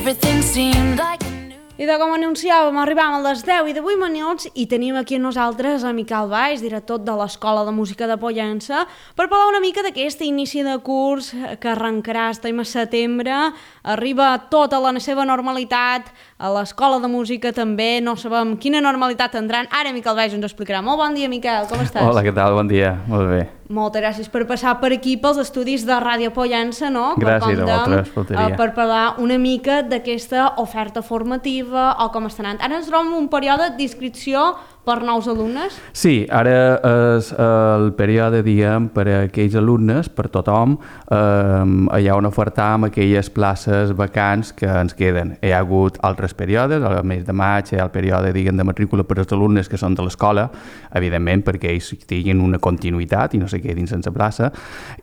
everything seemed like a new... I de com anunciàvem, arribàvem a les 10 i 18 minuts i tenim aquí amb nosaltres a Miquel Valls, director de l'Escola de Música de Pollença, per parlar una mica d'aquest inici de curs que arrencarà estem a setembre, arriba tota la seva normalitat, a l'Escola de Música també, no sabem quina normalitat tindran. Ara Miquel Valls ens ho explicarà. Molt bon dia, Miquel, com estàs? Hola, què tal? Bon dia, molt bé. Moltes gràcies per passar per aquí pels estudis de Ràdio Pollença, no? Gràcies a vosaltres, faltaria. Per parlar una mica d'aquesta oferta formativa o com està anant. Ara ens trobem un període d'inscripció per nous alumnes? Sí, ara és el període, diguem, per a aquells alumnes, per tothom, hi ha una oferta amb aquelles places vacants que ens queden. Hi ha hagut altres períodes, al mes de maig hi ha el període, diguem, de matrícula per als alumnes que són de l'escola, evidentment perquè ells tinguin una continuïtat i no se quedin sense plaça,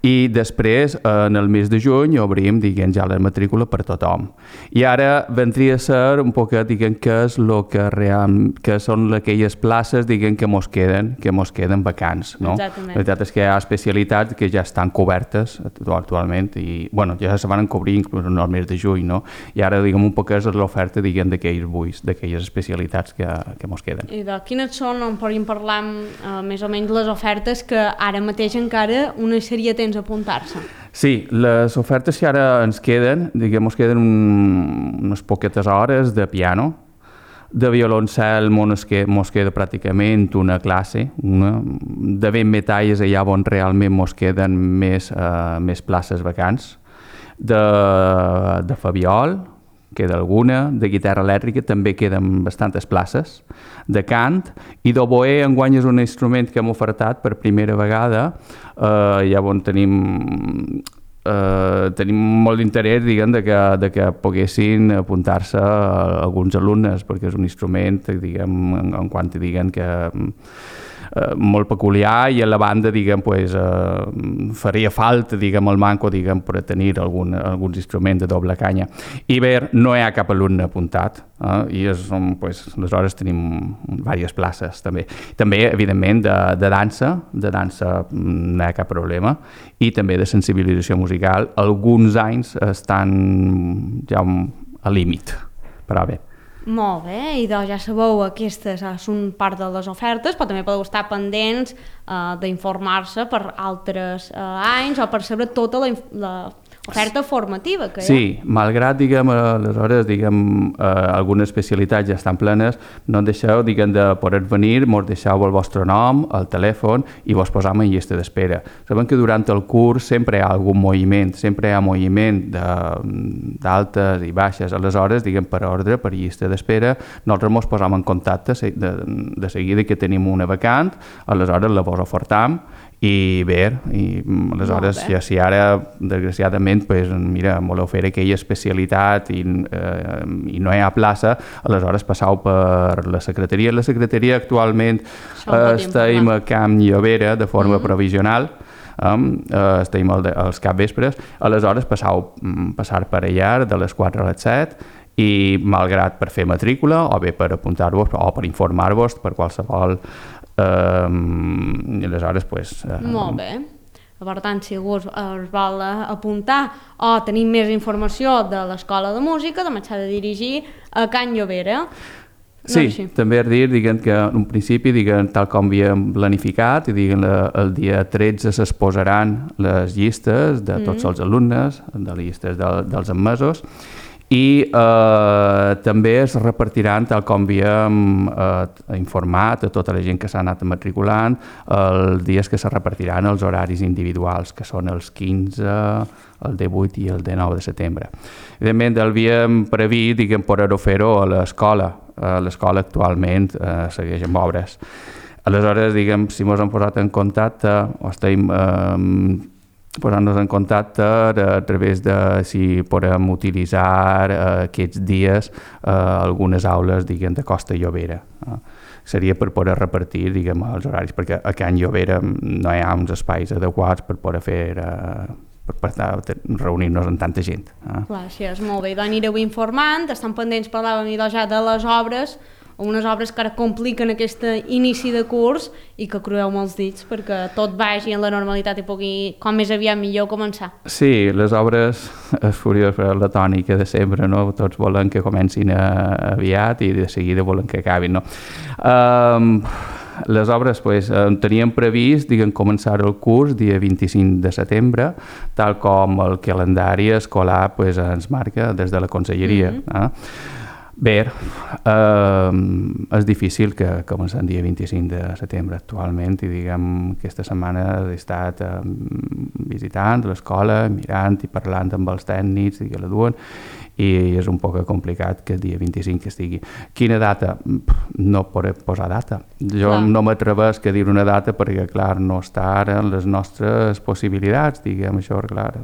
i després, en el mes de juny, obrim, diguem, ja la matrícula per tothom. I ara vendria a ser un poquet, diguem, què és el que són aquelles places, diguem, que mos queden vacants, no? Exactament. La veritat és que hi ha especialitats que ja estan cobertes actualment i, bueno, ja se van cobrir inclús en el mes de juny, no? I ara, diguem, un poc és l'oferta, diguem, d'aquells buits, d'aquelles especialitats que mos queden. I de quines són, on podríem parlar més o menys les ofertes que ara mateix encara una seria temps a apuntar-se? Sí, les ofertes que ara ens queden, diguem, ens queden unes poquetes hores de piano. De violoncel mos queda pràcticament una classe, de vent metalles allà on realment mos queden més places vacants, de fabiol queda alguna, de guitarra elèctrica també queden bastantes places, de cant, i d'oboè enguany és un instrument que hem ofertat per primera vegada, ja on tenim molt d'interès, diguem, de que poguessin apuntar-se alguns alumnes, perquè és un instrument, diguem, en quant diguem que molt peculiar, i a la banda, diguem, pues, faria falta, diguem, el manco, diguem, per tenir alguns instruments de doble canya. I bé, no hi ha cap alumne apuntat, i pues, aleshores tenim diverses places també. També, evidentment, de dansa no hi ha cap problema, i també de sensibilització musical. Alguns anys estan ja al límit, però bé. Molt bé, i doncs ja sabeu, aquestes són part de les ofertes, però també podeu estar pendents d'informar-se per altres anys o per saber tota l'oferta formativa que hi ha. Sí, malgrat, diguem, aleshores, diguem, algunes especialitats ja estan plenes, no ens deixeu, diguem, de poder venir, mos deixeu el vostre nom, el telèfon, i vos posam en llista d'espera. Sabem que durant el curs sempre hi ha algun moviment, sempre hi ha moviment d'altes i baixes, aleshores, diguem, per ordre, per llista d'espera, nosaltres mos posam en contacte de seguida que tenim una vacant, aleshores la vos ofertam, i bé, aleshores, si ara, desgraciadament, pues, mira, voleu fer aquella especialitat i no hi ha plaça, aleshores passau per la secretaria. La secretaria actualment estem a Camp Llobera de forma provisional, estem als capvespres, aleshores passar per allà de les 4 a les 7, i malgrat per fer matrícula o bé per apuntar-vos o per informar-vos per qualsevol i aleshores pues, molt bé. Per tant, si algú es vol apuntar o tenir més informació de l'Escola de Música, doncs s'ha de dirigir a Can Llobera. Sí, també és dir, diguem, que en un principi, diguem, tal com havíem planificat, i diguem, el dia 13 s'exposaran les llistes de tots els alumnes, de les llistes dels admesos, i també es repartiran, tal com havíem informat a tota la gent que s'ha anat matriculant, els dies que se repartiran els horaris individuals, que són els 15, el 18 i el 19 de setembre. Evidentment, havíem previst, diguem, poder-ho fer-ho a l'escola. L'escola actualment segueix amb obres. Aleshores, diguem, si ens hem posat en contacte, o estem posant-nos en contacte a través de si podem utilitzar aquests dies algunes aules, diguem, de Costa Llobera. Seria per poder repartir, diguem, els horaris, perquè a Can Llobera no hi ha uns espais adequats per poder fer reunir-nos amb tanta gent. Clar, sí, és molt bé. Doncs anireu informant, estan pendents, parlàvem ja de les obres, unes obres que ara compliquen aquest inici de curs i que crueu molts dits perquè tot vagi en la normalitat i pugui, com més aviat millor, començar. Sí, les obres és furiós, però la tònica de sempre, no? Tots volen que comencin aviat i de seguida volen que acabin, no? Les obres teníem previst començar el curs dia 25 de setembre, tal com el calendari escolar ens marca des de la conselleria. Bé, és difícil que comencem el dia 25 de setembre actualment i aquesta setmana he estat visitant l'escola, mirant i parlant amb els tècnics que la duen i és un poc complicat que el dia 25 estigui. Quina data? No podré posar data. Jo no m'atrevesc a dir una data perquè, clar, no està ara en les nostres possibilitats, això, clar.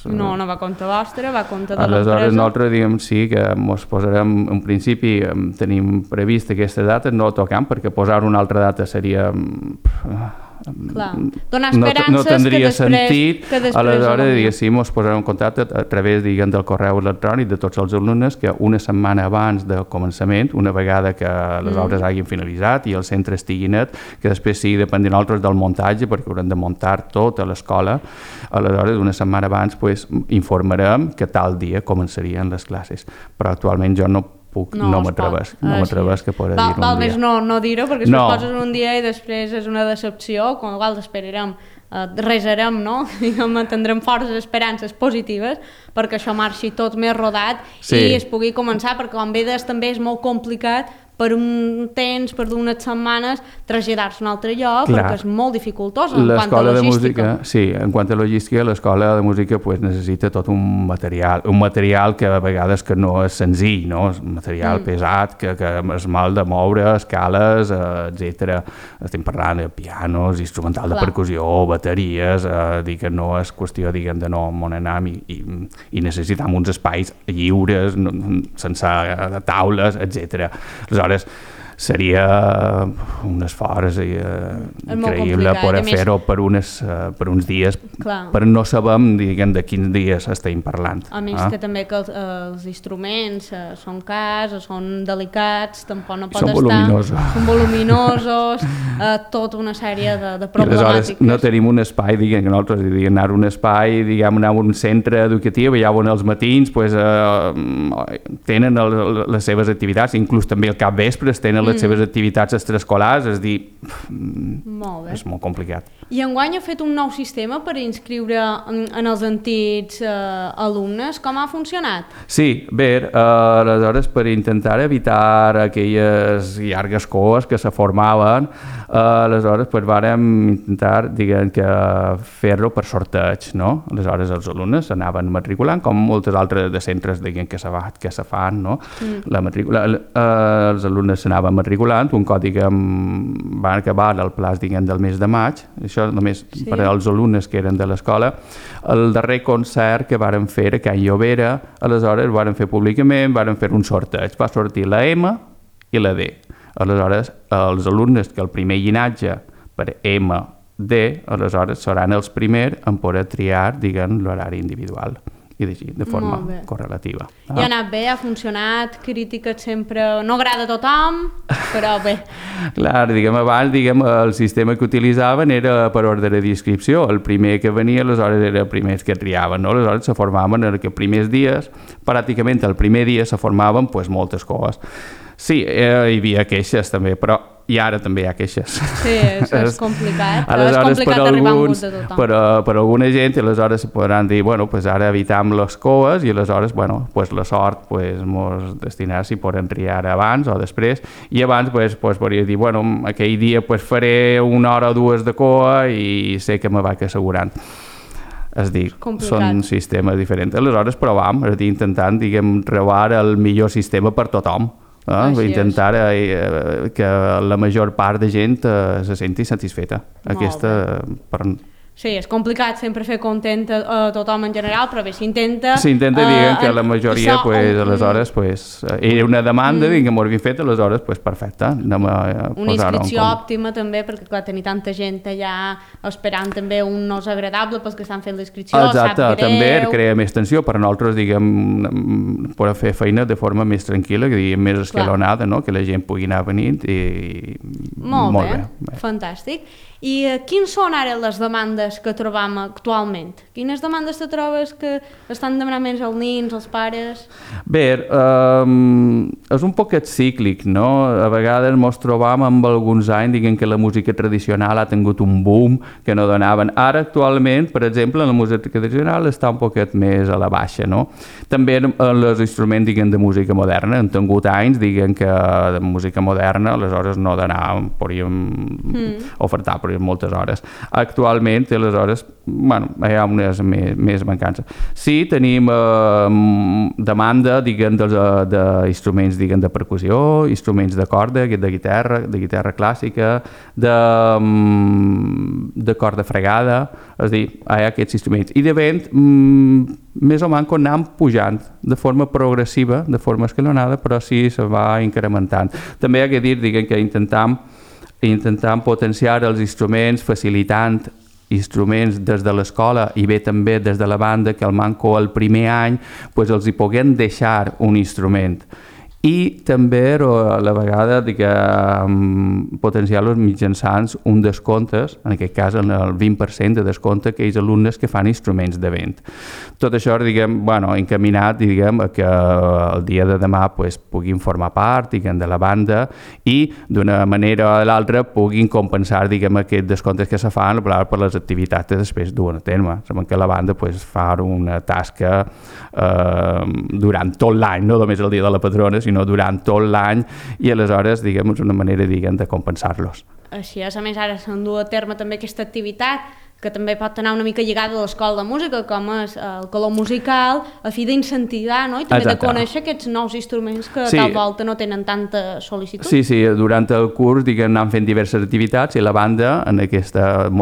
No va a compte vostre, va a compte de l'empresa. Aleshores, nosaltres, sí que ens posarem, en principi, tenim previst aquesta data, no toquem, perquè posar una altra data seria... Clar, donar esperances no tindria sentit. Que després aleshores, diguéssim, ens posarem en contacte a través, del correu electrònic de tots els alumnes que una setmana abans del començament, una vegada que les obres hagin finalitzat i el centre estigui net, que després sigui depèn de nosaltres del muntatge, perquè haurem de muntar tot a l'escola, aleshores una setmana abans informarem que tal dia començarien les classes. Però actualment jo no m'atrevesc que poder dir un dia. Val més no dir-ho, perquè si ho poses un dia i després és una decepció, com igual esperarem, resarem, no? Tindrem forces esperances positives perquè això marxi tot més rodat i es pugui començar, perquè com bé des també és molt complicat per un temps, per unes setmanes, traslladar-se a un altre lloc, perquè és molt dificultós en quant a logística. En quant a logística, l'escola de música necessita tot un material que a vegades que no és senzill, no? És un material pesat, que és mal de moure, escales, etc. Estem parlant de pianos, instrumental de percussió, bateries, dir que no és qüestió, de no on anem i necessitem uns espais lliures, sense taules, etc. Aleshores, seria un esforç increïble poder fer-ho per uns dies, però no sabem de quins dies estem parlant. A més que també que els instruments són cars, són delicats, tampoc no pot estar... Són voluminosos, tota una sèrie de problemàtiques. Aleshores, no tenim un espai, que nosaltres anar a un espai, anar a un centre educatiu, allà on els matins tenen les seves activitats, inclús també al capvespre tenen les seves activitats extraescolars, és dir, és molt complicat. I enguany ha fet un nou sistema per inscriure en els antics alumnes. Com ha funcionat? Sí, bé, aleshores per intentar evitar aquelles llargues coes que se formaven, aleshores vàrem intentar fer-lo per sorteig, no? Aleshores els alumnes s'anaven matriculant, com moltes altres de centres que se fan, no? La matrícula, els alumnes s'anaven matriculant, un cop va acabar el plaç del mes de maig, això només per als alumnes que eren de l'escola. El darrer concert que vàrem fer a Can Llobera, aleshores vàrem fer públicament, vàrem fer un sorteig, va sortir la M i la D. Aleshores, els alumnes que el primer llinatge per M, D, aleshores seran els primers en poder triar, l'horari individual i de forma correlativa. I ha anat bé, ha funcionat, crítiques sempre... No agrada a tothom, però bé. Clar, abans el sistema que utilitzaven era per ordre de inscripció. El primer que venia, aleshores, era el primer que triaven, no? Aleshores se formaven els primers dies, pràcticament el primer dia se formaven moltes coses. Sí, hi havia queixes també, però i ara també hi ha queixes. Sí, és complicat. És complicat arribar a un gust de tothom. Per alguna gent, aleshores podran dir, ara evitam les coes i aleshores, la sort ens destinarà si poden triar abans o després, i abans podria dir, aquell dia faré una hora o dues de coa i sé que me vaig assegurant. És dir, són sistemes diferents. Aleshores provem, intentant, trobar el millor sistema per tothom. Intentar que la major part de gent se senti satisfeta. Aquesta, Sí, és complicat sempre fer content a tothom en general, però bé, s'intenta... S'intenta, diguem, que la majoria, aleshores, era una demanda, que m'ho havien fet, aleshores, perfecte. Una inscripció òptima, també, perquè, clar, tenir tanta gent allà esperant també un no és agradable pels que estan fent l'inscripció, exacte, sap greu... també crea més tensió, per nosaltres, diguem, poder fer feina de forma més tranquil·la, que diguem, més escalonada, no? Que la gent pugui anar venint i... Molt bé, fantàstic. I quines són ara les demandes que trobam actualment? Quines demandes te trobes que estan demanant més els nins, els pares? Bé, és un poquet cíclic, no? A vegades ens trobam amb alguns anys, diguem que la música tradicional ha tingut un boom que no donaven. Ara, actualment, per exemple, la música tradicional està un poquet més a la baixa, no? També els instruments, diguem, de música moderna han tingut anys, diguem que de música moderna, aleshores no donàvem, podríem ofertar, moltes hores. Actualment, aleshores, bueno, hi ha unes més mancances. Sí, tenim demanda, diguem, d'instruments, diguem, de percussió, instruments de corda, de guitarra clàssica, de corda fregada, és a dir, hi ha aquests instruments. I de vent, més o menys anem pujant de forma progressiva, de forma escalonada, però sí se va incrementant. També hi ha que dir, diguem, que intentant potenciar els instruments, facilitant instruments des de l'escola i bé també des de la banda, que al manco el primer any els hi puguem deixar un instrument. I també a la vegada potenciar-los mitjançant un descomptes, en aquest cas el 20% de descompte a aquells alumnes que fan instruments de vent. Tot això, diguem, encaminat, diguem, a que el dia de demà puguin formar part, diguem, de la banda i d'una manera o l'altra puguin compensar, diguem, aquests descomptes que se fan per les activitats que després duen a terme. Sabem que la banda fa una tasca durant tot l'any, no només el dia de la patrona, sinó durant tot l'any, i aleshores, diguem, és una manera, diguem, de compensar-los. Així és, a més, ara s'endú a terme també aquesta activitat que també pot anar una mica lligada a l'escola de música, com és el color musical, a fi d'incentivar, no? I també de conèixer aquests nous instruments que tal volta no tenen tanta sol·licitud. Sí, durant el curs, diguem, anem fent diverses activitats i la banda, en aquesta,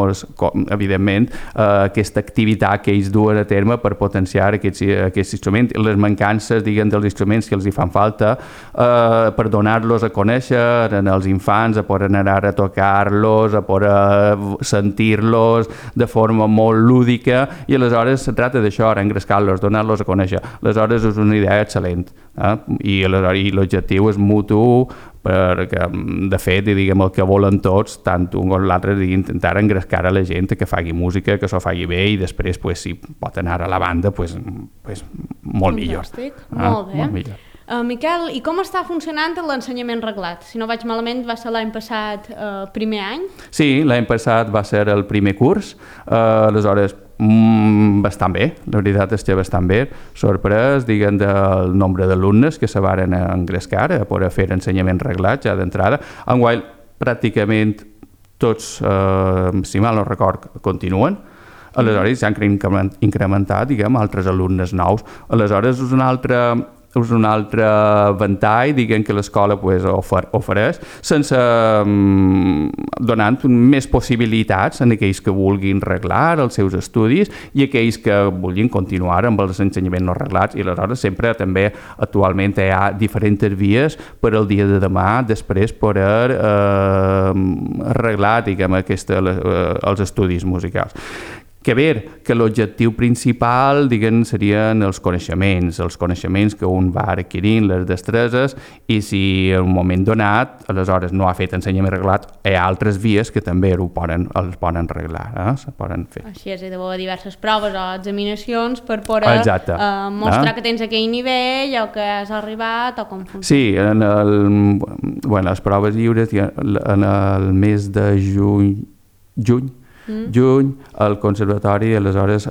evidentment, aquesta activitat que ells duen a terme per potenciar aquests instruments, les mancances, diguem, dels instruments que els hi fan falta, per donar-los a conèixer als infants, a poder anar a tocar-los, a poder sentir-los, de forma molt lúdica, i aleshores se tracta d'això, engrescar-los, donar-los a conèixer. Aleshores és una idea excel·lent, i l'objectiu és mutu, perquè de fet, diguem, el que volen tots, tant un com l'altre, intentar engrescar a la gent que faci música, que s'ho faci bé, i després, si pot anar a la banda, molt millor. Molt bé. Molt millor. Miquel, i com està funcionant l'ensenyament reglat? Si no vaig malament, va ser l'any passat primer any? Sí, l'any passat va ser el primer curs, aleshores bastant bé, la veritat és que bastant bé, sorprès, diguem, del nombre d'alumnes que se varen engrescar a poder fer ensenyament reglat ja d'entrada. Enguany, pràcticament tots, si mal no record, continuen. Aleshores s'han incrementat, diguem, altres alumnes nous. Aleshores és un altre ventall, diguem, que l'escola ofereix, sense donant més possibilitats en aquells que vulguin reglar els seus estudis i aquells que vulguin continuar amb els ensenyaments no reglats. I aleshores sempre també actualment hi ha diferents vies per al dia de demà després poder arreglar, diguem, els estudis musicals. Que bé, que l'objectiu principal, diguem, serien els coneixements que un va adquirint, les destreses, i si en un moment donat, aleshores no ha fet ensenyament reglat, hi ha altres vies que també els poden arreglar, se poden fer. Així és, hi ha diverses proves o examinacions per poder mostrar que tens aquell nivell o que has arribat o com funciona. Sí, les proves lliures en el mes de juny, el conservatori aleshores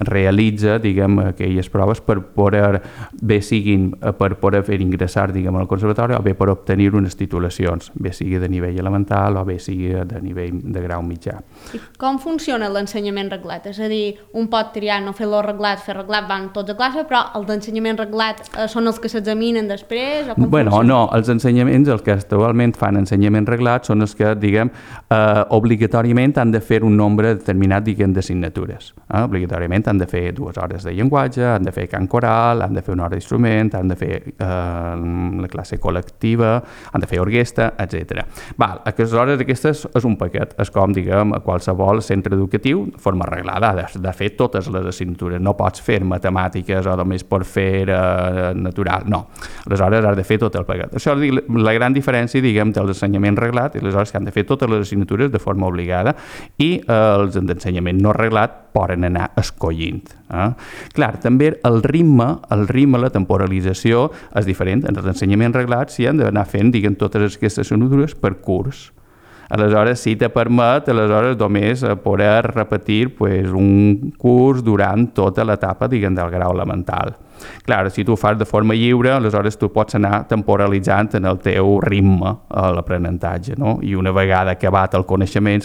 realitza, diguem, aquelles proves per poder fer ingressar, diguem, al conservatori o bé per obtenir unes titulacions, bé sigui de nivell elemental o bé sigui de nivell de grau mitjà. I com funciona l'ensenyament reglat? És a dir, un pot triar no fer-lo reglat, fer reglat van tots a classe, però els d'ensenyament reglat són els que s'examinen després? No, els ensenyaments, els que actualment fan ensenyament reglat són els que, diguem, obligatòriament obligatòriament han de fer un nombre determinat, diguem, d'assignatures. Obligatòriament han de fer 2 hores de llenguatge, han de fer cant coral, han de fer 1 hora d'instrument, han de fer la classe col·lectiva, han de fer orquestra, etc. Aquestes hores aquestes és un paquet, és com, diguem, a qualsevol centre educatiu, de forma arreglada, has de fer totes les assignatures, no pots fer matemàtiques o només per fer natural, no. Aleshores has de fer tot el paquet. Això és la gran diferència, diguem, de l'ensenyament reglat i aleshores que han de fer totes les assignatures de forma obligada i els d'ensenyament no reglat poden anar escollint. Clar, també el ritme, la temporalització és diferent. En els ensenyaments reglats s'hi han d'anar fent, diguem, totes aquestes assignatures per curs. Aleshores, sí te permet, només poder repetir un curs durant tota l'etapa, diguem, del grau elemental. Clar, si tu ho fas de forma lliure, aleshores tu pots anar temporalitzant en el teu ritme a l'aprenentatge, no? I una vegada acabat el coneixement,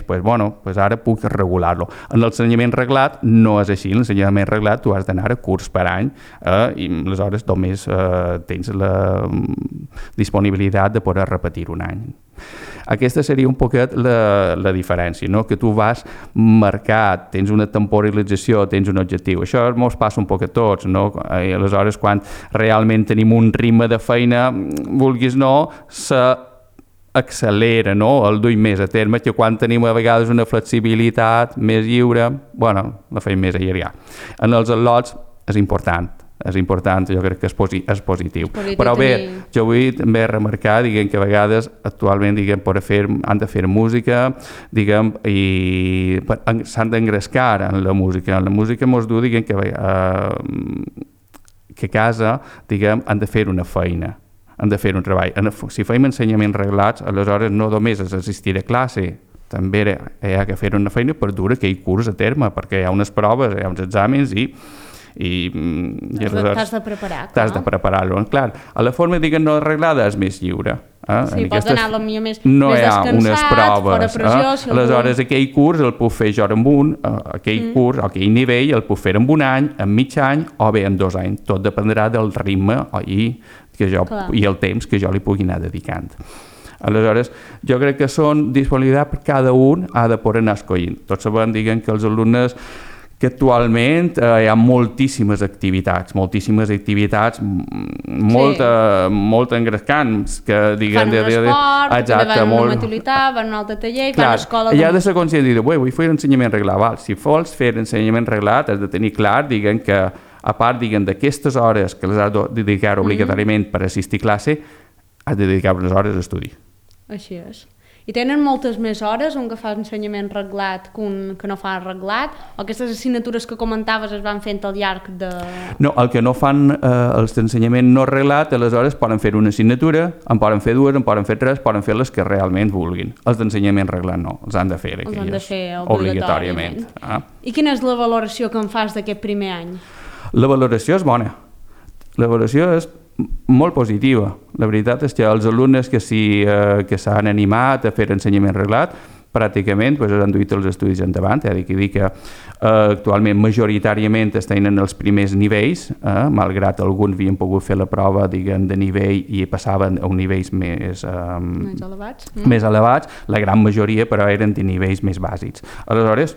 ara puc regular-lo. En l'ensenyament reglat no és així. En l'ensenyament reglat tu has d'anar a curs per any i aleshores només tens la disponibilitat de poder repetir un any. Aquesta seria un poquet la diferència, no? Que tu vas marcat, tens una temporalització, tens un objectiu. Això ens passa un poc a tots, no? I aleshores, quan realment tenim un ritme de feina, vulguis no, s'accelera, no? El duim més a terme, que quan tenim a vegades una flexibilitat més lliure, la feim més allargar. En els al·lots és important, jo crec que és positiu. Però bé, jo vull també remarcar, diguem, que a vegades actualment, diguem, han de fer música, diguem, i s'han d'engrescar en la música. En la música mos diu, diguem, que a casa, diguem, han de fer una feina, han de fer un treball. Si fem ensenyaments reglats, aleshores no només és assistir a classe, també hi ha que fer una feina per dur aquell curs a terme, perquè hi ha unes proves, hi ha uns exàmens i t'has de preparar. T'has de preparar-lo. Clar, a la forma, diguem, no arreglada és més lliure. Sí, pots anar potser més no hi ha descansat, unes proves, fora pressió. Aleshores, aquell curs el puc fer jo en aquell curs, aquell nivell, el puc fer en un any, en mig any o bé en 2 anys. Tot dependrà del ritme i el temps que jo li pugui anar dedicant. Aleshores, jo crec que són disponibilitat per cada un ha de poder anar escollint. Tots sabem, diguem, que els alumnes que actualment hi ha moltíssimes activitats molt engrescants, que diguem... Fan un esport, també van a una maturitat, van a un altre taller, fan a escola... Hi ha de ser conscient de dir, vull fer ensenyament reglat. Si vols fer ensenyament reglat, has de tenir clar, diguem, que a part, diguem, d'aquestes hores que les has de dedicar obligatòriament per assistir a classe, has de dedicar unes hores a estudi. Així és. I tenen moltes més hores un que fa ensenyament reglat que un que no fa reglat? O aquestes assignatures que comentaves es van fent al llarg de... No, el que no fan els d'ensenyament no reglat, aleshores poden fer una assignatura, en poden fer 2, en poden fer 3, poden fer les que realment vulguin. Els d'ensenyament reglat no, els han de fer obligatòriament. I quina és la valoració que en fas d'aquest primer any? La valoració és bona. La valoració és molt positiva. La veritat és que els alumnes que s'han animat a fer ensenyament reglat pràcticament han duit els estudis endavant. He de dir que actualment majoritàriament estan en els primers nivells, malgrat alguns havien pogut fer la prova, diguem, de nivell i passaven a nivells més elevats. La gran majoria, però, eren de nivells més bàsics. Aleshores,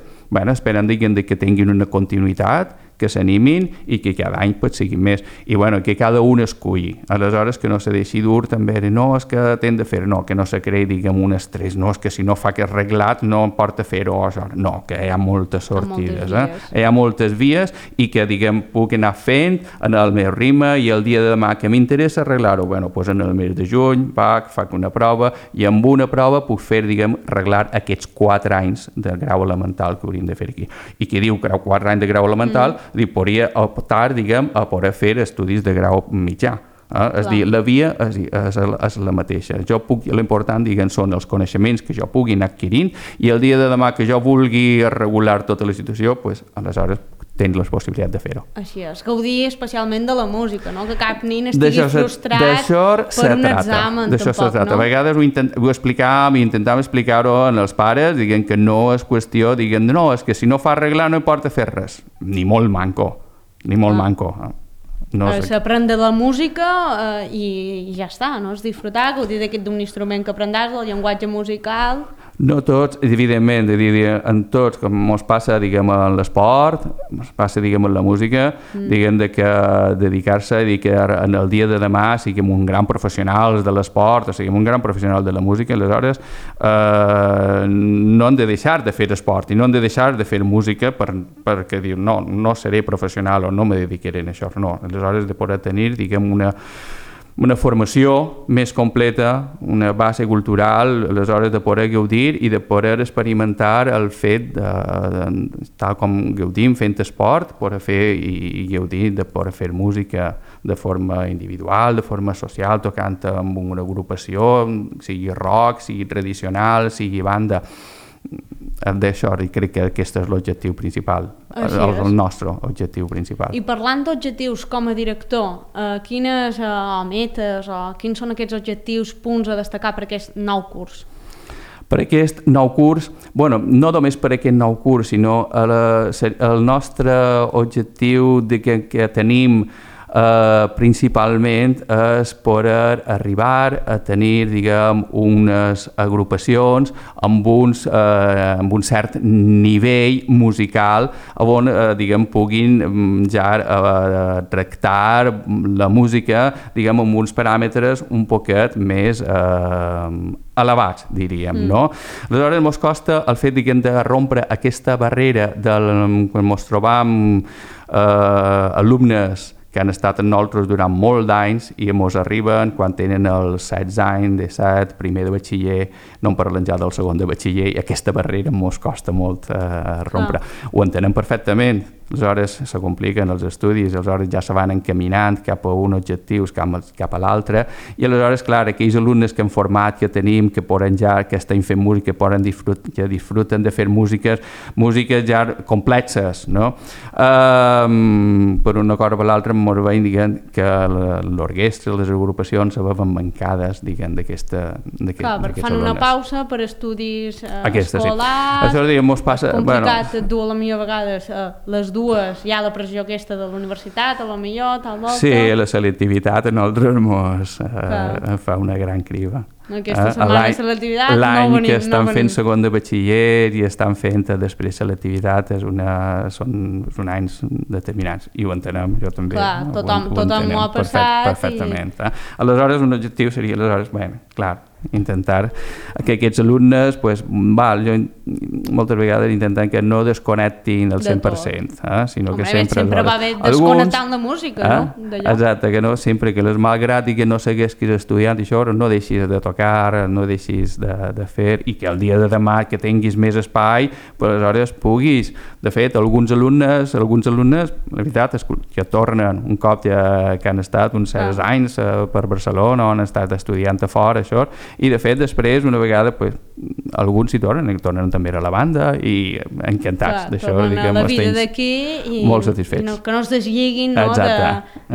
esperen, diguem, que tinguin una continuïtat, que s'animin i que cada any siguin més. I que cada un esculli. Aleshores, que no se deixi dur també de no, és que t'hem de fer, no, que no se creï, diguem, un estrès, no, és que si no fa aquest reglat no em porta a fer-ho, no, que hi ha moltes sortides, hi ha moltes vies i que, diguem, puc anar fent en el meu ritme i el dia de demà que m'interessa arreglar-ho, doncs en el mes de juny faig una prova i amb una prova puc fer, diguem, arreglar aquests 4 anys de grau elemental que hauríem de fer aquí. I qui diu que 4 anys de grau elemental podria optar, diguem, a poder fer estudis de grau mitjà. És a dir, la via és la mateixa. L'important, diguem, són els coneixements que jo pugui anar adquirint i el dia de demà que jo vulgui regular tota la situació, aleshores tens la possibilitat de fer-ho. Així és, gaudir especialment de la música, no? Que cap nin estigui frustrat per un examen, tampoc, no? A vegades ho explicàvem i intentàvem explicar-ho als pares, diguem que no és qüestió, diguem, no, és que si no fa arreglar no importa fer res. Ni molt manco. S'aprèn de la música i ja està, no? És disfrutar, gaudir d'un instrument que aprendràs, del llenguatge musical... No tots, evidentment, en tots, com ens passa, diguem, en l'esport, ens passa, diguem, en la música, diguem, que dedicar-se i que en el dia de demà siguem un gran professional de l'esport o siguem un gran professional de la música, aleshores no hem de deixar de fer esport i no hem de deixar de fer música perquè diu, no seré professional o no me dedicaré a això, no. Aleshores, de poder tenir, diguem, una formació més completa, una base cultural, aleshores de poder gaudir i de poder experimentar el fet tal com gaudim fent esport, poder fer i gaudir de poder fer música de forma individual, de forma social, tocant amb una agrupació, sigui rock, sigui tradicional, sigui banda. D'això, i crec que aquest és l'objectiu principal, el nostre objectiu principal. I parlant d'objectius com a director, quines metes o quins són aquests objectius, punts a destacar per aquest nou curs? Per aquest nou curs, no només per aquest nou curs, sinó el nostre objectiu que tenim principalment és poder arribar a tenir, diguem, unes agrupacions amb un cert nivell musical on, diguem, puguin ja tractar la música, diguem, amb uns paràmetres un poquet més elevats, diríem, no? Aleshores, ens costa el fet, diguem, de rompre aquesta barrera quan ens trobam alumnes que han estat amb nosaltres durant molts d'anys i ens arriben quan tenen els 16 anys, 17, primer de batxiller, no en parlem ja del segon de batxiller, i aquesta barrera ens costa molt rompre. Ho entenem perfectament, aleshores se compliquen els estudis, aleshores ja se van encaminant cap a un objectiu, cap a l'altre, i aleshores, clar, aquells alumnes que hem format, que tenim, que poden ja, que estan fent música, que disfruten de fer músiques ja complexes, no? Per una cosa o per l'altra, ens veiem, diguem, que l'orquestra, les agrupacions se veuen mancades, diguem, d'aquests alumnes. Clar, perquè fan una pausa per estudis escolars, això, diguem, mos passa... complicat, et du a la millor vegades les dues, hi ha la pressió aquesta de la universitat, a la millor, tal volta... Sí, la selectivitat a nosaltres mos fa una gran criba. Aquesta setmana de selectivitat l'any que estan fent segon de batxiller i estan fent després selectivitat són anys determinats i ho entenem, jo també. Clar, tothom ho ha passat. Perfectament. Aleshores, un objectiu seria, clar, intentar que aquests alumnes, jo moltes vegades intentem que no desconnectin el 100%, sinó que sempre va bé desconnectant la música, no? Exacte, que no, sempre que malgrat i que no segueixis estudiant i això, no deixis de tocar, no deixis de fer, i que el dia de demà que tinguis més espai, aleshores puguis. De fet, alguns alumnes, la veritat és que tornen un cop que han estat uns certs anys per Barcelona, on han estat estudiant a fora, això, i de fet després una vegada alguns hi tornen també a la banda i encantats d'això, diguem, molt satisfets, que no es deslliguen de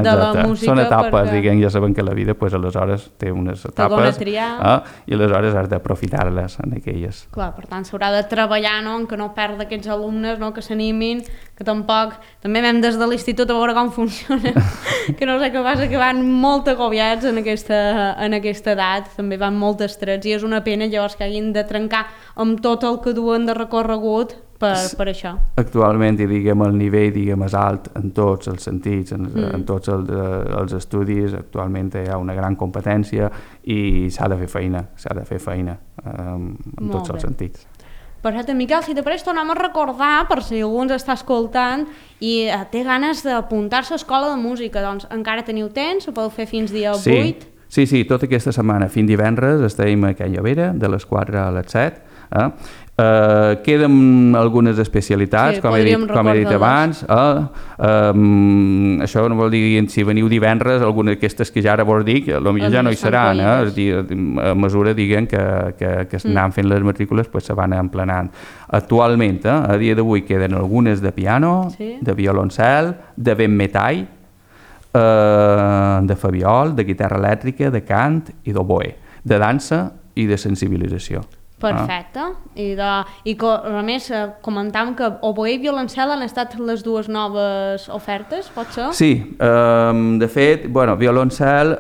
la música. Són etapes, diguem, ja saben que la vida aleshores té unes etapes i aleshores has d'aprofitar-les en aquelles. Clar, per tant s'haurà de treballar en que no perd aquests alumnes, que s'animin, que tampoc també vam des de l'institut a veure com funciona, que no sé què passa, que van molt agobiats en aquesta edat, també van molt estrets i és una pena llavors que hagin de trencar amb tot el que duen de recorregut per això. Actualment, diguem, el nivell és alt en tots els sentits, en tots els estudis, actualment hi ha una gran competència i s'ha de fer feina en tots els sentits. Perfecte, Miquel, si t'apareix tornem a recordar, per si algú ens està escoltant i té ganes d'apuntar-se a Escola de Música, doncs encara teniu temps, ho podeu fer fins dia 8? Sí, tota aquesta setmana, fins divendres, estem a Can Llovera, de les 4 a les 7. Queden algunes especialitats, com he dit abans. Això no vol dir, si veniu divendres, algunes d'aquestes que ja ara vos dic, potser ja no hi seran. És a dir, a mesura que anem fent les matrícules, se van emplenant. Actualment, a dia d'avui, queden algunes de piano, de violoncel, de vent metall, de fabiol, de guitarra elèctrica, de cant i d'oboè, de dansa i de sensibilització. Perfecte. I a més comentàvem que oboè i violoncel han estat les dues noves ofertes, pot ser? Sí, de fet, violoncel,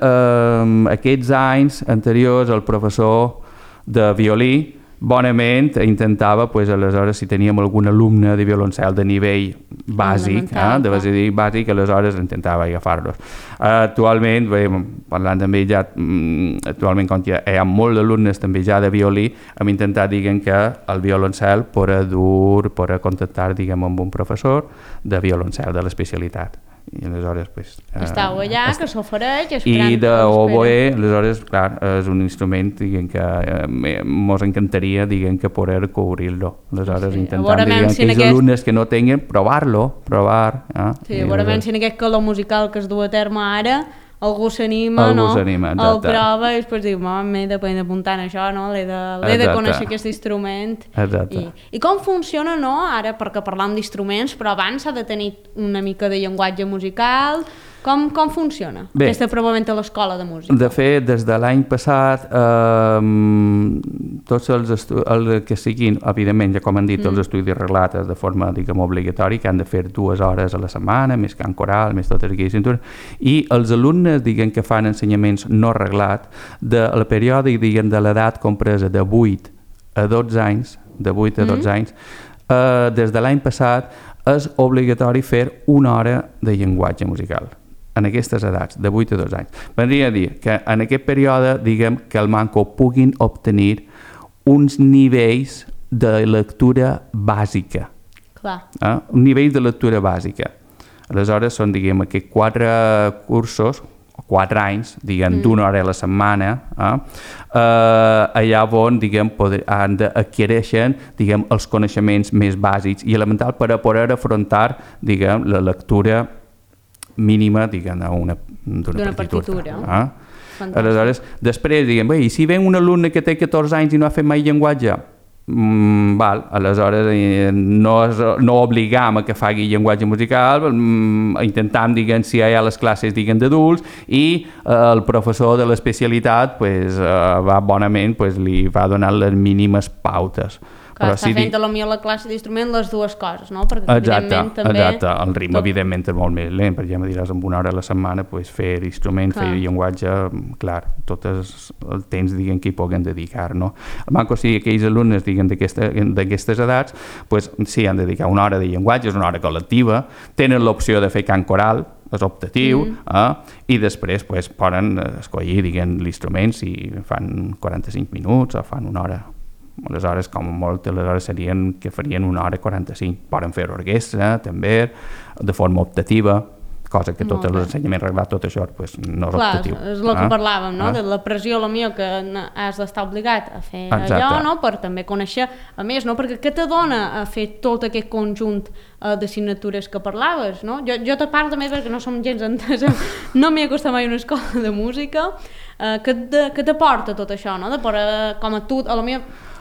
aquests anys anteriors el professor de violí bonament intentava, pues, aleshores, si teníem algun alumne de violoncel de nivell bàsic, bàsic, aleshores intentava agafar-los. Actualment, bé, parlant amb ell ja, actualment, com que hi ha molts alumnes també ja de violí, hem intentat, diguem, que el violoncel per contactar, diguem, amb un professor de violoncel, de l'especialitat. I aleshores, pues, estàu allà, que s'ofereix, i d'oboe, aleshores, clar, és un instrument, diguem, que mos encantaria, diguem, que poder cobrir-lo. Aleshores, intentant, diguem, que els alumnes que no tinguin, provar-lo, Sí, segurament si en aquest calor musical que es du a terme ara, algú s'anima, no? El prova i després diu, m'he d'apuntar en això, no? L'he de conèixer aquest instrument. Exacte. I com funciona, no? Ara, perquè parlam d'instruments, però abans s'ha de tenir una mica de llenguatge musical. Com funciona aquesta provament a l'escola de música? De fet, des de l'any passat, tots els que siguin, evidentment, ja com han dit, els estudis reglats de forma, diguem, obligatòria, que han de fer 2 hores a la setmana, més cant coral, més totes aquelles cintures, i els alumnes, diguem, que fan ensenyaments no reglats, del període, diguem, de l'edat compresa de 8 a 12 anys, des de l'any passat és obligatori fer 1 hora de llenguatge musical en aquestes edats, de 8 a 12 anys. Vendria a dir que en aquest període, diguem, que el manco puguin obtenir uns nivells de lectura bàsica. Clar. Un nivell de lectura bàsica. Aleshores, són, diguem, aquests 4 cursos, 4 anys, diguem, d'1 hora a la setmana, allà on, diguem, han d'adquireixen, diguem, els coneixements més bàsics i elementals per a poder afrontar, diguem, la lectura mínima, diguem, d'una partitura. Aleshores, després, diguem, bé, i si ven un alumne que té 14 anys i no ha fet mai llenguatge, aleshores no obligam a que faci llenguatge musical, intentam, diguem, si hi ha les classes, diguem, d'adults, i el professor de l'especialitat va bonament, li va donar les mínimes pautes. Clar, està fent potser la classe d'instrument les dues coses, no? Perquè evidentment també... Exacte, el ritme evidentment és molt més lent, perquè ja me diràs, amb 1 hora a la setmana fer instrument, fer llenguatge, clar, tot el temps, diguem, que hi puguem dedicar, no? El manco sí, aquells alumnes, diguem, d'aquestes edats, sí, han de dedicar 1 hora de llenguatge, és 1 hora col·lectiva, tenen l'opció de fer cant coral, és optatiu, i després poden escollir, diguem, l'instrument si fan 45 minuts o fan 1 hora. Aleshores, com molt, aleshores serien que farien 1 hora 45. Poden fer orquestra, també, de forma optativa, cosa que tot l'ensenyament reglat, tot això, no és optatiu. Clar, és el que parlàvem, no? De la pressió, que has d'estar obligat a fer allò, no? Per també conèixer, a més, no? Perquè què te dona a fer tot aquest conjunt d'assignatures que parlaves, no? Jo te parlo també perquè no som gens entesa, no m'he acostat mai a una escola de música, que t'aporta tot això, no? De poder, com a tu,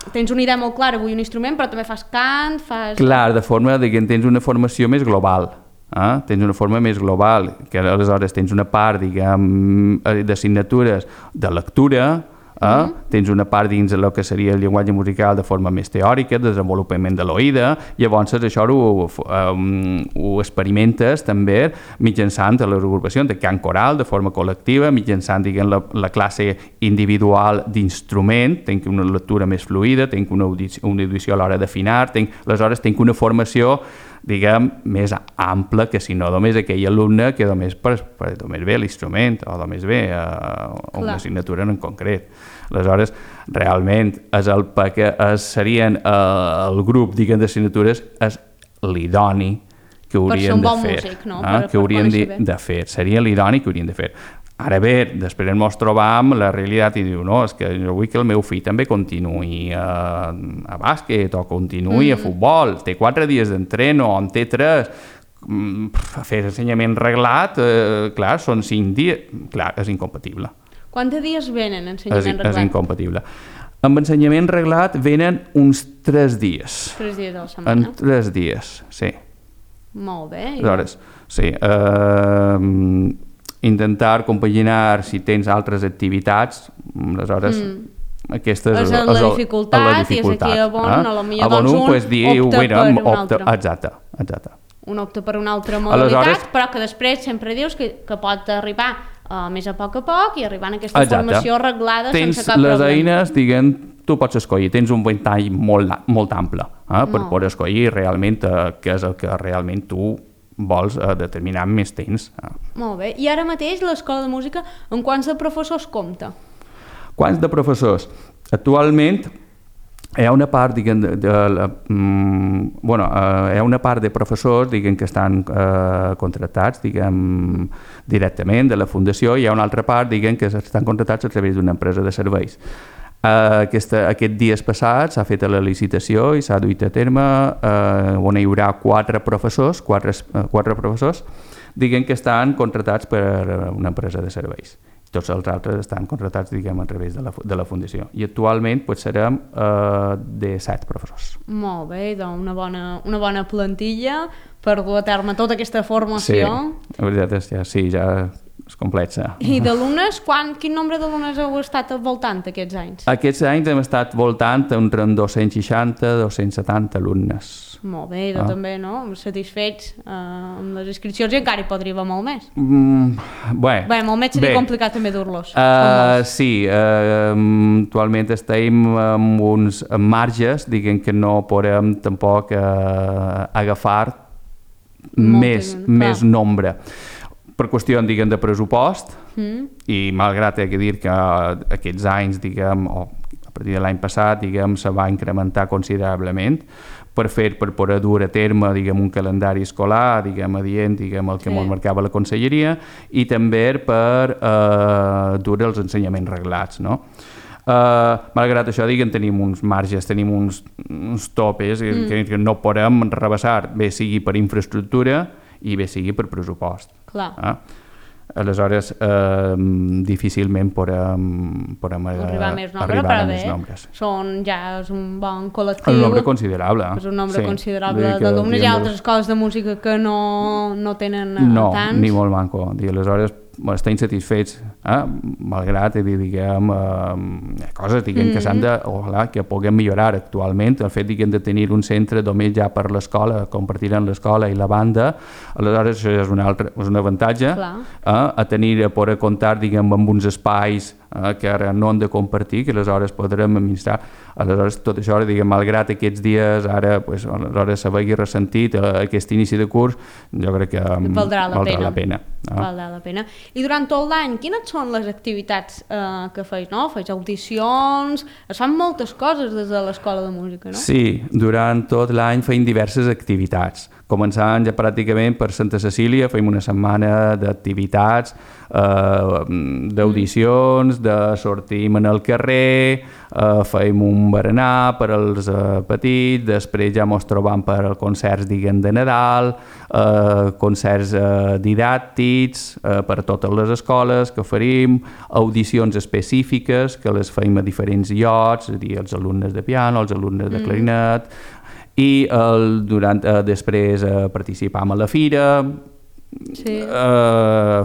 tens una idea molt clara, vull un instrument, però també fas cant, fas... Clar, de forma que tens una formació més global. Tens una forma més global, que aleshores tens una part, diguem, d'assignatures de lectura, tens una part dins el que seria el llenguatge musical de forma més teòrica, de desenvolupament de l'oïda, llavors això ho experimentes també mitjançant les agrupacions de cant coral de forma col·lectiva, mitjançant, diguem, la classe individual d'instrument, tenc una lectura més fluida, tenc una audició a l'hora d'afinar, aleshores tenc una formació, diguem, més ampla que si no només aquell alumne que només ve l'instrument o només ve una assignatura en concret. Aleshores, realment, serien el grup, diguem, d'assignatures és l'idoni que haurien de fer. Que haurien de fer. Seria l'idoni que haurien de fer. Ara bé, després ens trobam la realitat i diu, no, és que jo vull que el meu fill també continuï a bàsquet o continuï a futbol, té 4 dies d'entreno, en té 3, fer ensenyament reglat, clar, són 5 dies, clar, és incompatible. Quants dies venen ensenyament reglat? És incompatible. Amb ensenyament reglat venen uns 3 dies. 3 dies a la setmana? En 3 dies, sí. Molt bé. Aleshores, sí, intentar compaginar si tens altres activitats, aleshores aquesta és la dificultat i és aquí a on un opta per un altre. Exacte. Un opta per una altra modalitat, però que després sempre dius que pot arribar més a poc i arribant a aquesta formació arreglada sense cap problema. problema. Tens les eines, diguem, tu pots escollir, tens un ventall molt ample per poder escollir realment què és el que realment tu vols determinar més temps. Molt bé. I ara mateix l'escola de música amb quants de professors compta? Quants de professors? Actualment hi ha una part, diguem, hi ha una part de professors, diguem, que estan contractats, diguem, directament de la fundació, i hi ha una altra part, diguem, que estan contractats a través d'una empresa de serveis. Aquests dies passats s'ha fet la licitació i s'ha duit a terme on hi haurà quatre professors, diguem, que estan contractats per una empresa de serveis. Tots els altres estan contractats, diguem, a través de la fundació. I actualment serem de 7 professors. Molt bé, doncs una bona plantilla per dur a terme tota aquesta formació. Sí, la veritat és que sí, ja és complexa. I d'alumnes, quin nombre d'alumnes heu estat voltant aquests anys? Aquests anys hem estat voltant entre 260-270 alumnes. Molt bé, també, no? Satisfets amb les inscripcions, i encara hi podria haver molt més. Bé, molt més seria complicat també dur-los. Sí, actualment estem amb uns marges, diguem, que no podem tampoc agafar més nombre. Per qüestió, diguem, de pressupost, i malgrat he de dir que aquests anys, diguem, o a partir de l'any passat, diguem, se va incrementar considerablement per poder dur a terme, diguem, un calendari escolar, diguem, adient, diguem, el que ens marcava la conselleria, i també per dur els ensenyaments reglats, no? Malgrat això, diguem, tenim uns marges, tenim uns topes que no podem rebassar, bé sigui per infraestructura i bé sigui per pressupost. Clar. Aleshores, difícilment podem arribar a més nombres. Ja és un bon col·lectiu. Un nombre considerable. És un nombre considerable d'alumnes. Hi ha altres escoles de música que no tenen tants. No, ni molt manco. Aleshores, estem satisfets, malgrat, diguem, coses, diguem, que s'han de, ojalà, que puguem millorar actualment. El fet, diguem, de tenir un centre només ja per l'escola, compartirem l'escola i la banda, aleshores això és un avantatge, a poder comptar, diguem, amb uns espais que ara no han de compartir, que aleshores podrem administrar. Aleshores, tot això, diguem, malgrat aquests dies, ara, aleshores s'hagi ressentit aquest inici de curs, jo crec que valdrà la pena. Valdrà la pena. I durant tot l'any, quines són les activitats que feis, no? Feis audicions, es fan moltes coses des de l'escola de música, no? Sí, durant tot l'any feim diverses activitats. Començant ja pràcticament per Santa Cecília, feim una setmana d'activitats, d'audicions, de sortim en el carrer, feim un berenar per als petits, després ja mos trobam per als concerts, diguem, de Nadal, concerts didàctics per totes les escoles que oferim, audicions específiques que les feim a diferents llocs, és a dir, els alumnes de piano, els alumnes de clarinet, i després participam a la fira,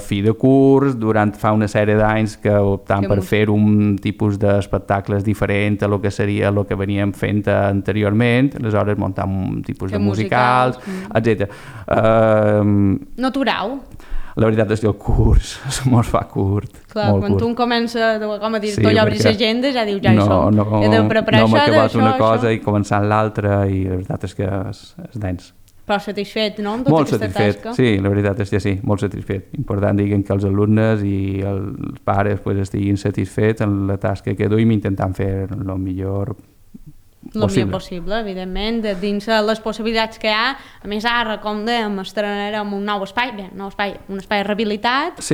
fi de curs, fa una sèrie d'anys que optam per fer un tipus d'espectacles diferent a lo que seria el que veníem fent anteriorment, aleshores muntam un tipus de musicals, etc. No aturau? La veritat és que el curs mos fa curt. Clar, quan tu comences, com a dir, tu obris l'agenda, ja dius, ja hi som. He de preparar això, acabat una cosa i començant l'altra, i la veritat és que és dens. Però satisfet, no?, amb tota aquesta tasca? Sí, la veritat és que sí, molt satisfet. Important, diguem, que els alumnes i els pares estiguin satisfets en la tasca que duim, intentant fer el millor possible, evidentment, dins les possibilitats que hi ha. A més, ara, com dèiem, estrenarem un nou espai, un espai rehabilitat,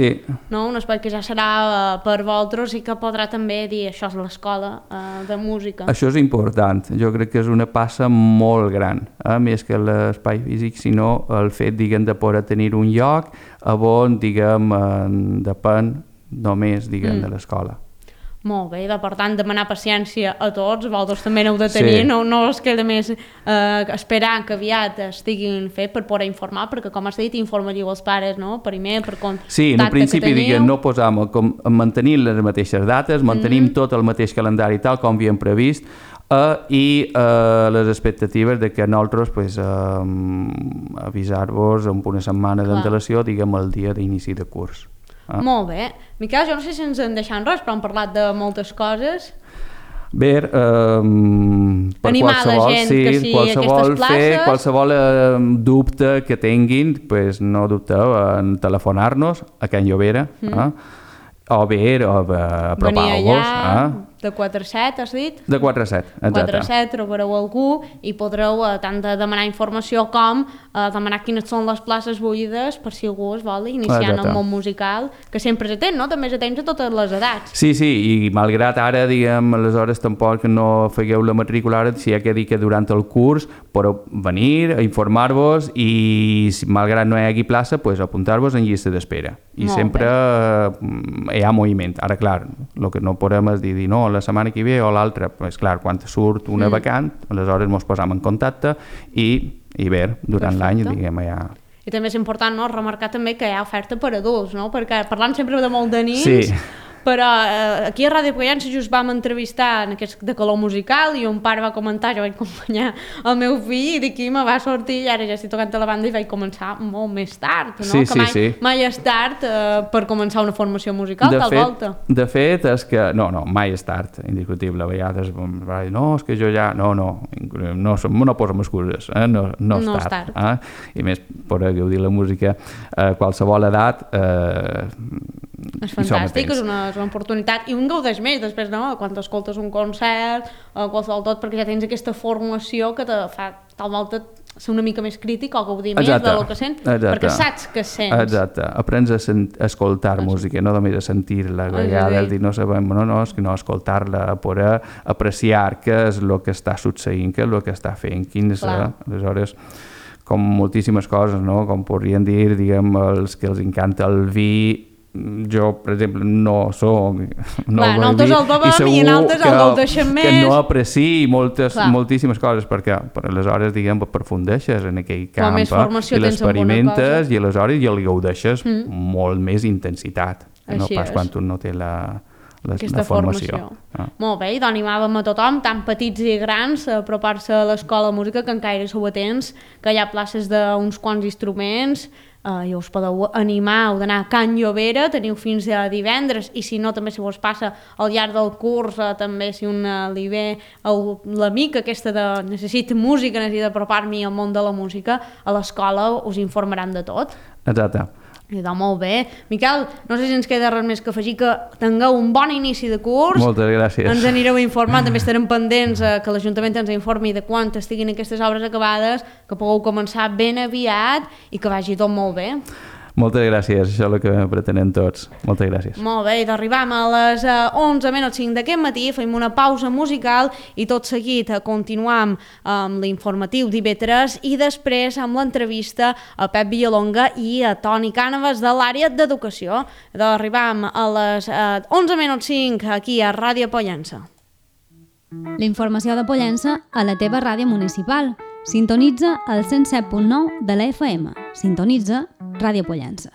un espai que ja serà per vosaltres i que podrà també dir això és l'escola de música. Això és important, jo crec que és una passa molt gran, més que l'espai físic, sinó el fet, diguem, de poder tenir un lloc on, diguem, depèn només, diguem, de l'escola. Molt bé, per tant, demanar paciència a tots, vosaltres també n'heu de tenir, no es queda més esperar que aviat estiguin fet per poder informar, perquè, com has dit, informaríeu els pares, no?, per email, per contacte. Sí, en un principi, diguem, no posam, mantenir les mateixes dates, mantenim tot el mateix calendari tal com havíem previst, i les expectatives de que nosaltres avisar-vos amb una setmana d'antelació, diguem, el dia d'inici de curs. Molt bé. Miquel, jo no sé si ens en deixem res, però hem parlat de moltes coses. Bé, per animar qualsevol, la gent que sigui qualsevol aquestes places. qualsevol dubte que tinguin, pues no dubteu en telefonar-nos a Can Llobera, o bé apropar-vos. De 4 a 7, has dit? De 4 a 7, exacte. 4 a 7 trobareu algú i podreu tant demanar informació com demanar quines són les places buides per si algú es vol iniciar en el món musical, que sempre és atent, no? També és atent a totes les edats. Sí, i malgrat ara, diguem, aleshores tampoc no fegueu la matrícula ara, si hi ha que dir que durant el curs podeu venir a informar-vos i malgrat no hi hagi plaça, pues, apuntar-vos en llista d'espera. I sempre hi ha moviment. Ara, clar, el que no podem és dir no, la setmana que ve o l'altra, pues, clar, quan surt una vacant, aleshores ens posam en contacte i bé, durant l'any, diguem, ja... I també és important, no?, remarcar també que hi ha oferta per adults, no?, perquè parlant sempre de molt de nins... Sí. Però aquí a Ràdio Pollença just vam entrevistar en aquest de calor musical i un pare va comentar, jo vaig acompanyar el meu fill i d'aquí me va sortir i ara ja estic tocant a la banda i vaig començar molt més tard, no? Sí, que mai és tard per començar una formació musical, tal volta. De fet, és que... No, mai és tard, indiscutible. A vegades no, és que jo ja... No posem excuses, no és tard. I més, per gaudir la música a qualsevol edat... És fantàstic, és una oportunitat i un gaudeix més després, no? Quan escoltes un concert o qualsevol tot, perquè ja tens aquesta formació que te fa tal volta ser una mica més crític o gaudir més del que sents, perquè saps que sents. Exacte, aprens a escoltar música, no només a sentir-la, a vegades no sabem, és que no escoltar-la, a poder apreciar què és el que està succeint, què és el que està fent, aleshores, com moltíssimes coses, no? Com podrien dir, diguem, els que els encanta el vi. Jo, per exemple, no soc... Nosaltres el bevem i nosaltres el gaudeixem més. Que no apreciï moltíssimes coses, perquè aleshores, diguem, aprofundeixes en aquell camp i l'experimentes i aleshores ja li gaudeixes molt més intensitat, no pas quan tu no té la formació. Molt bé, i d'animàvem a tothom, tant petits i grans, a apropar-se a l'escola de música, que encara sou atents, que hi ha places d'uns quants instruments, i us podeu animar, heu d'anar a Can Llobera, teniu fins a divendres, i si no també si vos passa al llarg del curs, també si li ve l'amic aquesta de necessito música, necessito apropar-m'hi al món de la música, a l'escola us informaran de tot. Exacte. Idò, molt bé. Miquel, no sé si ens queda res més que afegir, que tingueu un bon inici de curs. Moltes gràcies. Ens anireu informant, també estarem pendents que l'Ajuntament ens informi de quan estiguin aquestes obres acabades, que pugueu començar ben aviat i que vagi tot molt bé. Moltes gràcies, això és el que pretenem tots. Moltes gràcies. Molt bé, i d'arribam a les 11:05 d'aquest matí, fem una pausa musical i tot seguit continuam amb l'informatiu d'IV3 i després amb l'entrevista a Pep Villalonga i a Toni Cànovas de l'àrea d'educació. D'arribam a les 11:05 aquí a Ràdio Pollença. La informació de Pollença a la teva ràdio municipal. Sintonitza el 107.9 de la FM. Sintonitza Ràdio Pollença.